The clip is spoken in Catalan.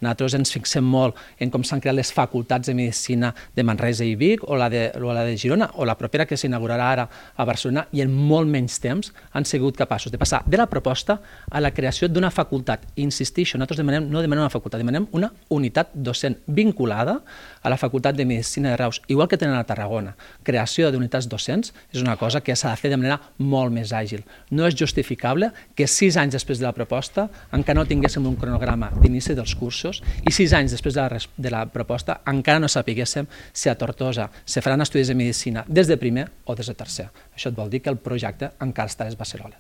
Nosaltres ens fixem molt en com s'han creat les facultats de Medicina de Manresa i Vic o la de Girona o la propera que s'inaugurarà ara a Barcelona, i en molt menys temps han sigut capaços de passar de la proposta a la creació d'una facultat. Insistixo, nosaltres no demanem una facultat, demanem una unitat docent vinculada a la Facultat de Medicina de Reus, igual que tenen a Tarragona. Creació d'unitats docents és una cosa que s'ha de fer de manera molt més àgil. No és justificable que 6 anys després de la proposta encara no tinguéssim un cronograma d'inici dels cursos i 6 anys després de la proposta encara no sapiguéssim si a Tortosa se faran estudis de medicina des de primer o des de tercer. Això et vol dir que el projecte encara està a les beceroles.